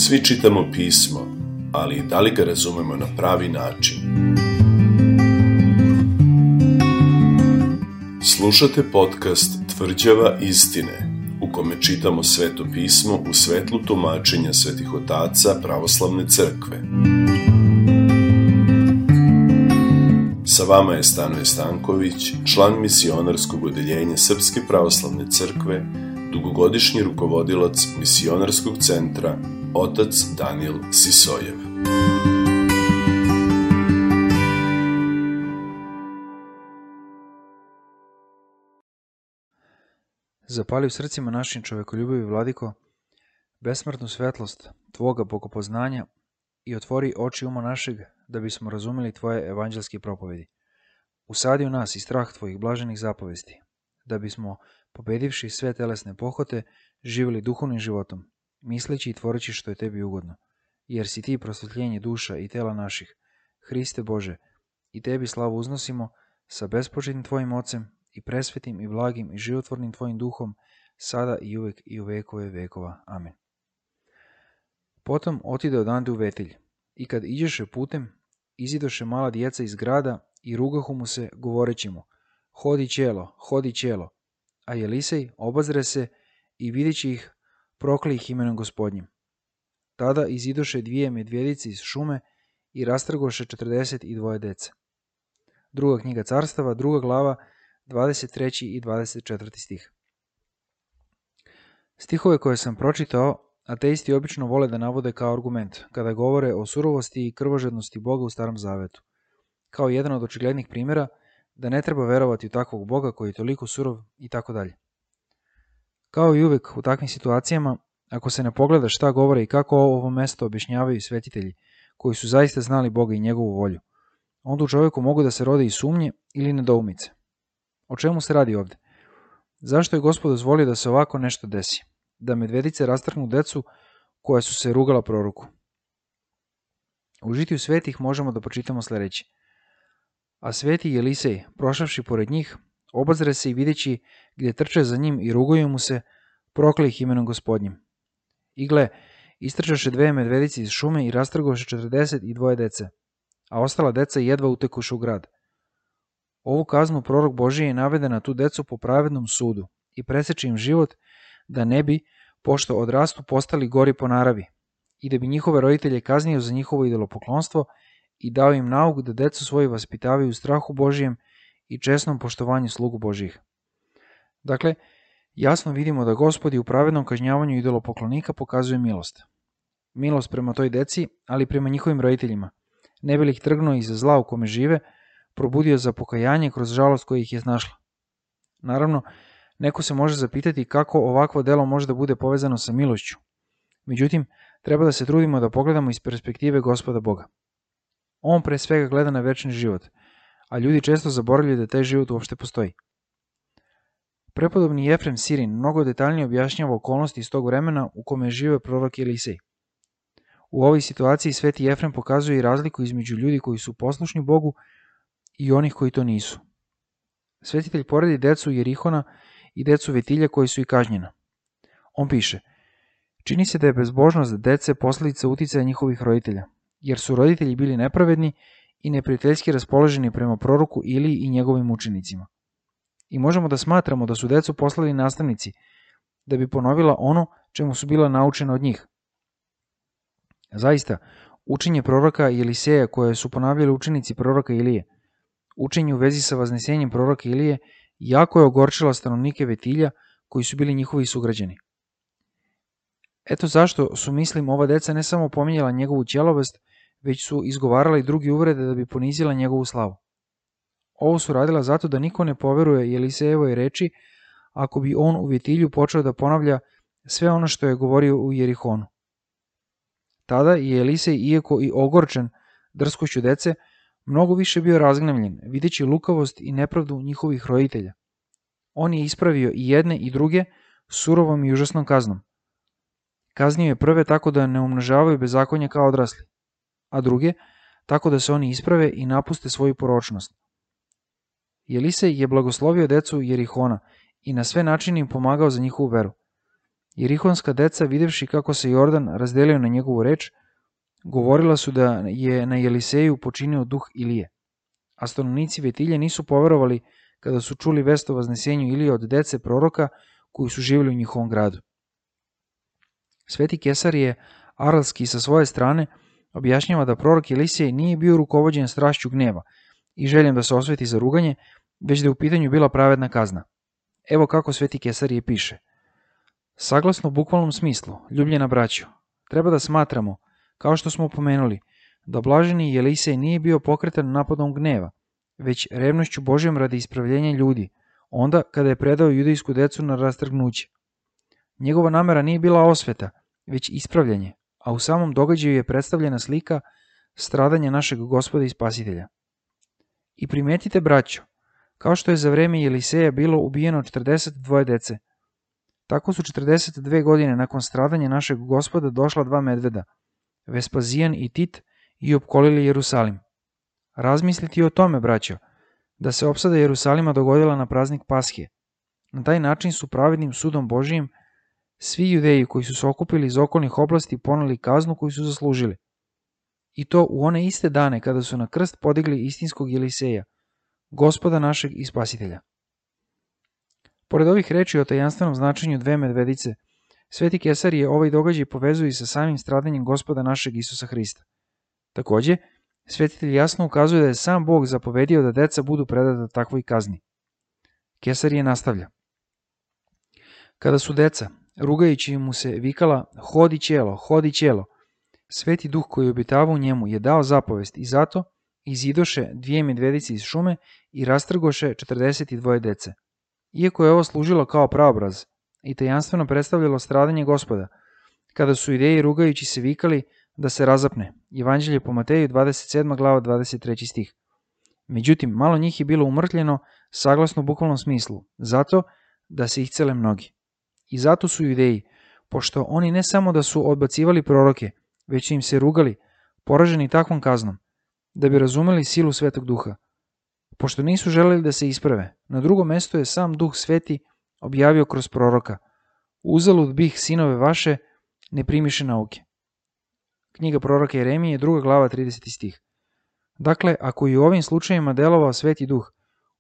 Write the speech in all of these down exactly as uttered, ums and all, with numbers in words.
Svi čitamo pismo, ali da li ga razumemo na pravi način? Slušate podcast Tvrđava istine, u kome čitamo Sveto pismo u svetlu tumačenja svetih otaca pravoslavne crkve. Sa vama je Stanoje Stanković, član misionarskog odeljenja Srpske pravoslavne crkve, dugogodišnji rukovodilac misionarskog centra, otac Danijel Sisojev. Zapali u srcima našim čovekoljubivi, Vladiko, besmrtnu svetlost Tvoga bogopoznanja i otvori oči uma našeg da bismo razumeli Tvoje evanđelske propovedi. Usadi u nas i strah Tvojih blaženih zapovesti, da bismo, pobedivši sve telesne pohote, živjeli duhovnim životom, misleći i tvoreći što je Tebi ugodno, jer si Ti prosvetljenje duša i tela naših, Hriste Bože, i Tebi slavu uznosimo sa bespočetnim Tvojim Ocem i presvetim i blagim i životvornim Tvojim duhom, sada i uvek i u vekove vekova. Amen. Potom otide odande u Vetilj, i kad iđeše putem, izidoše mala djeca iz grada i rugahu mu se, govoreći mu: hodi ćelo, hodi ćelo. A Jelisej obazre se i videći ih, prokli ih imenom Gospodnjim. Tada izidoše dvije medvjedice iz šume i rastrgoše četrdeset i dvoje dece. Druga knjiga carstava, druga glava, dvadeset treći i dvadeset četvrti stih. Stihove koje sam pročitao, ateisti obično vole da navode kao argument, kada govore o surovosti i krvožednosti Boga u Starom Zavetu, kao jedan od očiglednih primjera da ne treba verovati u takvog Boga koji je toliko surov i tako dalje. Kao i uvek u takvim situacijama, ako se ne pogleda šta govore i kako ovo mesto objašnjavaju svetitelji, koji su zaista znali Boga i njegovu volju, onda u čovjeku mogu da se rode i sumnje ili nedoumice. O čemu se radi ovdje? Zašto je Gospod dozvolio da se ovako nešto desi? Da medvedice rastrgnu decu koja su se rugala proroku. U žitiju svetih možemo da pročitamo sljedeće. A sveti Jelisej, prošavši pored njih, obazre se i videći gdje trče za njim i rugaju mu se, prokli ih imenom Gospodnjim. I gle, istrčaše dve medvedice iz šume i rastrgoše četrdeset i dvoje dece, a ostala deca jedva utekuše u grad. Ovu kaznu prorok Božiji je naveden na tu decu po pravednom sudu i preseče im život, da ne bi, pošto odrastu, postali gori po naravi, i da bi njihove roditelje kaznio za njihovo idolopoklonstvo i dao im nauk da decu svoji vaspitavaju u strahu Božijem i česnom poštovanju slugu Božijih. Dakle, jasno vidimo da Gospod u pravednom kažnjavanju idolopoklonika pokazuje milost. Milost prema toj deci, ali prema njihovim roditeljima, ne bi li ih trgnuo iza zla u kome žive, probudio za pokajanje kroz žalost koja ih je snašla. Naravno, neko se može zapitati kako ovakvo delo može da bude povezano sa milošću. Međutim, treba da se trudimo da pogledamo iz perspektive Gospoda Boga. On pre svega gleda na večni život, a ljudi često zaboravljaju da taj život uopšte postoji. Prepodobni Jefrem Sirin mnogo detaljnije objašnjava okolnosti iz tog vremena u kome žive prorok Jelisej. U ovoj situaciji sveti Jefrem pokazuje i razliku između ljudi koji su poslušni Bogu i onih koji to nisu. Svetitelj poredi decu Jerihona i decu Vetilja koji su i kažnjena. On piše: čini se da je bezbožnost dece posljedica uticaja njihovih roditelja, jer su roditelji bili nepravedni i neprijateljski raspoloženi prema proroku Iliji i njegovim učenicima. I možemo da smatramo da su decu poslali nastavnici da bi ponovila ono čemu su bila naučena od njih. Zaista, učenje proroka Jeliseja koje su ponavljali učenici proroka Ilije, učenje u vezi sa vaznesenjem proroka Ilije, jako je ogorčila stanovnike Vetilja koji su bili njihovi sugrađani. Eto zašto su, mislim, ova deca ne samo pominjala njegovu ćelovest, već su izgovarala i drugi uvrede da bi ponizila njegovu slavu. Ovo su radila zato da niko ne poveruje Jelisejevoj reči ako bi on u Vetilju počeo da ponavlja sve ono što je govorio u Jerihonu. Tada je Jelisej, iako i ogorčen drskošću dece, mnogo više bio razgnevljen, videći lukavost i nepravdu njihovih roditelja. On je ispravio i jedne i druge surovom i užasnom kaznom. Kaznio je prve tako da ne umnožavaju bezakonje kao odrasli, a druge tako da se oni isprave i napuste svoju poročnost. Jelisej je blagoslovio decu Jerihona i na sve načine im pomagao za njihovu veru. Jerihonska deca, videvši kako se Jordan razdelio na njegovu reč, govorila su da je na Jeliseju počinio duh Ilije. A stanovnici Vetilje nisu poverovali kada su čuli vest o vaznesenju Ilije od dece proroka koji su živjeli u njihovom gradu. Sveti Kesarije Aralski sa svoje strane objašnjava da prorok Elisej nije bio rukovođen strašću gneva i željem da se osveti za ruganje, već da je u pitanju bila pravedna kazna. Evo kako Sveti Kesarije piše. Saglasno bukvalnom smislu, ljubljena braćo, treba da smatramo, kao što smo pomenuli, da blaženi Elisej nije bio pokretan napadom gneva, već revnošću Božjom radi ispravljenja ljudi, onda kada je predao judejsku decu na rastrgnuće. Njegova namera nije bila osveta, već ispravljanje, a u samom događaju je predstavljena slika stradanja našeg Gospoda i Spasitelja. I primetite, braćo, kao što je za vreme Jeliseja bilo ubijeno četrdeset dvoje dece, tako su četrdeset dve godine nakon stradanja našeg Gospoda došla dva medveda, Vespazijan i Tit, i opkolili Jerusalim. Razmisliti o tome, braćo, da se opsada Jerusalima dogodila na praznik Pashe. Na taj način su pravednim sudom Božijim svi Judeji koji su se okupili iz okolnih oblasti poneli kaznu koju su zaslužili. I to u one iste dane kada su na krst podigli istinskog Jeliseja, Gospoda našeg i Spasitelja. Pored ovih reči o tajanstvenom značenju dve medvedice, Sveti Kesarije ovaj događaj povezuje sa samim stradanjem Gospoda našeg Isusa Hrista. Takođe, svetitelj jasno ukazuje da je sam Bog zapovedio da deca budu predata takvoj kazni. Kesarije nastavlja. Kada su deca, rugajući mu se, vikala hodi ćelo, hodi ćelo, Sveti Duh koji obitava u njemu je dao zapovest i zato izidoše dvije medvedice iz šume i rastrgoše četrdeset dvoje dece. Iako je ovo služilo kao praobraz i tajanstveno predstavljalo stradanje Gospoda, kada su Judeji rugajući se vikali da se razapne. Evanđelje po Mateju dvadeset sedma glava dvadeset treći stih. Međutim, malo njih je bilo umrtljeno saglasno bukvalnom smislu, zato da se iscele mnogi. I zato su Judeji, pošto oni ne samo da su odbacivali proroke, već su im se rugali, poraženi takvom kaznom, da bi razumeli silu Svetog Duha. Pošto nisu želeli da se isprave, na drugo mesto je sam Duh Sveti objavio kroz proroka. Uzalud bih, sinove vaše, ne primiše nauke. Knjiga proroka Jeremije, druga glava, trideseti stih. Dakle, ako i u ovim slučajima delovao Sveti Duh,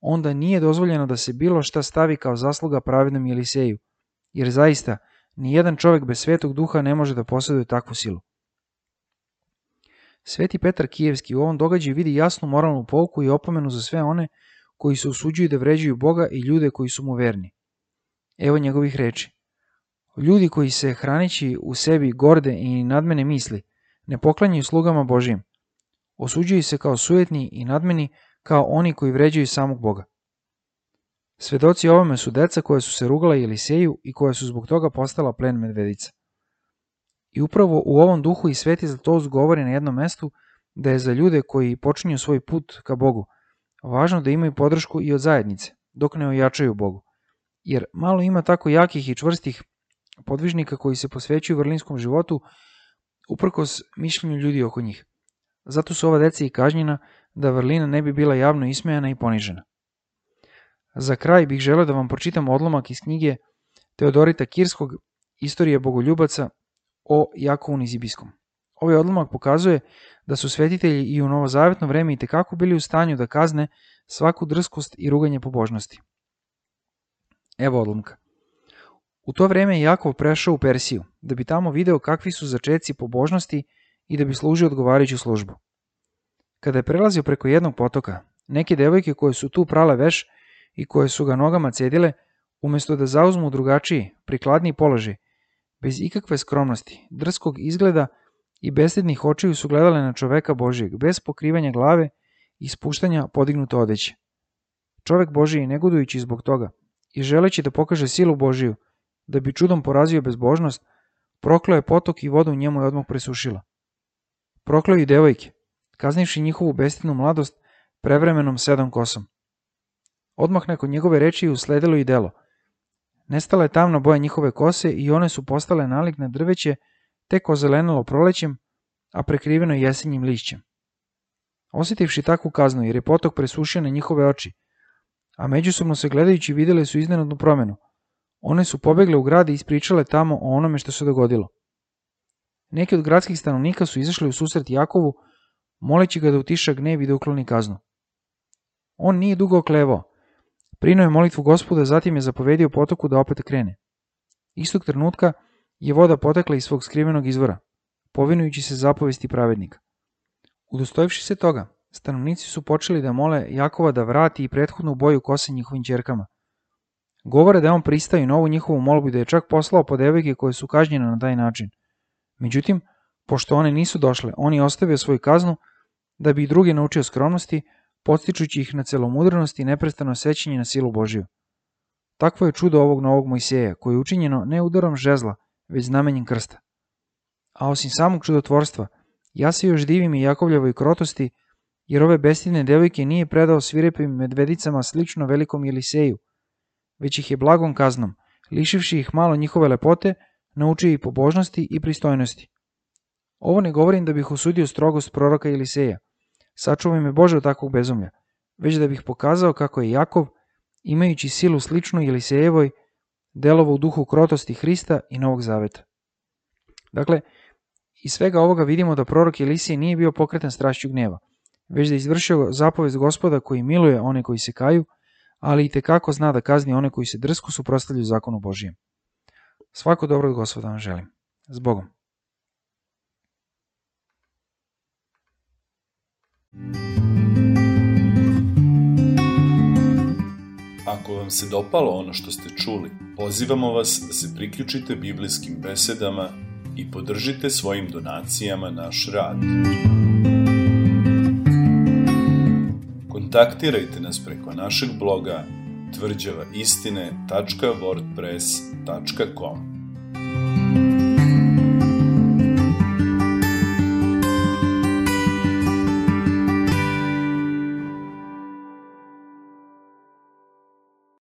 onda nije dozvoljeno da se bilo šta stavi kao zasluga pravednom Jeliseju, jer zaista nijedan čovjek bez Svetog Duha ne može da posjeduje takvu silu. Sveti Petar Kijevski u ovom događaju vidi jasnu moralnu pouku i opomenu za sve one koji se usuđuju da vređuju Boga i ljude koji su mu verni. Evo njegovih reči. Ljudi koji se, hranići u sebi gorde i nadmene misli, ne poklanjaju slugama Božijim. Osuđuju se kao sujetni i nadmeni, kao oni koji vređaju samog Boga. Svedoci ovome su deca koja su se rugala Jeliseju i koja su zbog toga postala plen medvedica. I upravo u ovom duhu i Sveti Zlatoust govori na jednom mestu da je za ljude koji počinju svoj put ka Bogu važno da imaju podršku i od zajednice, dok ne ojačaju Bogu. Jer malo ima tako jakih i čvrstih podvižnika koji se posvećuju vrlinskom životu uprkos mišljenju ljudi oko njih. Zato su ova deca i kažnjena da vrlina ne bi bila javno ismejana i ponižena. Za kraj bih želeo da vam pročitam odlomak iz knjige Teodorita Kirskog Istorije bogoljubaca o Jakovu Nizibijskom. Ovaj odlomak pokazuje da su svetitelji i u novozavetno vreme itekako bili u stanju da kazne svaku drskost i ruganje pobožnosti. Evo odlomka. U to vreme je Jakov prešao u Persiju, da bi tamo video kakvi su začeci pobožnosti i da bi služio odgovarajuću službu. Kada je prelazio preko jednog potoka, neke devojke koje su tu prale veš i koje su ga nogama cedile, umesto da zauzmu drugačiji, prikladniji položaj, bez ikakve skromnosti, drskog izgleda i bestidnih očiju su gledale na čoveka Božijeg, bez pokrivanja glave i spuštanja podignute odeće. Čovek Božiji, negodujući zbog toga i želeći da pokaže silu Božiju, da bi čudom porazio bezbožnost, prokleo je potok i voda u njemu je odmah presušila. Prokleo i devojke, kaznivši njihovu bestidnu mladost prevremenom sedam kosom. Odmah nakon njegove reči je usledilo i delo. Nestala je tamna boja njihove kose i one su postale nalik na drveće, tek ozelenilo prolećem, a prekriveno jesenjim lišćem. Osjetivši takvu kaznu, jer je potok presušio na njihove oči, a međusobno se gledajući vidjeli su iznenadnu promenu, One su pobegle u grad i ispričale tamo o onome što se dogodilo. Neki od gradskih stanovnika su izašli u susret Jakovu, moleći ga da utiša gnev i da ukloni kaznu. On nije dugo oklevao. Prinuo je molitvu Gospoda, zatim je zapovedio potoku da opet krene. Istog trenutka je voda potekla iz svog skrivenog izvora, povinujući se zapovesti pravednika. Udostojivši se toga, stanovnici su počeli da mole Jakova da vrati i prethodnu boju kose njihovim ćerkama. Govore da je on pristao na ovu njihovu molbu i da je čak poslao po devojke koje su kažnjene na taj način. Međutim, pošto one nisu došle, on je ostavio svoju kaznu da bi i druge naučio skromnosti, podstičući ih na celomudrenost i neprestano sećanje na silu Božiju. Takvo je čudo ovog novog Mojseja, koje je učinjeno ne udarom žezla, već znamenjem krsta. A osim samog čudotvorstva, ja se još divim i Jakovljevoj krotosti, jer ove bestidne devojke nije predao svirepim medvedicama slično velikom Eliseju, već ih je blagom kaznom, lišivši ih malo njihove lepote, naučio i pobožnosti i pristojnosti. Ovo ne govorim da bih osudio strogost proroka Eliseja, sačuvaj me Bože od takvog bezumlja, već da bih pokazao kako je Jakov, imajući silu sličnu Elisejevoj, delovao u duhu krotosti Hrista i Novog Zaveta. Dakle, iz svega ovoga vidimo da prorok Elisej nije bio pokretan strašću gneva, već da je izvršio zapovest Gospoda koji miluje one koji se kaju, ali i tekako zna da kazni one koji se drsko suprotstavljaju zakonu Božijem. Svako dobro od Gospoda vam želim. S Bogom. Ako vam se dopalo ono što ste čuli, pozivamo vas da se priključite biblijskim besedama i podržite svojim donacijama naš rad. Kontaktirajte nas preko našeg bloga tvrđava istine tačka wordpress tačka com.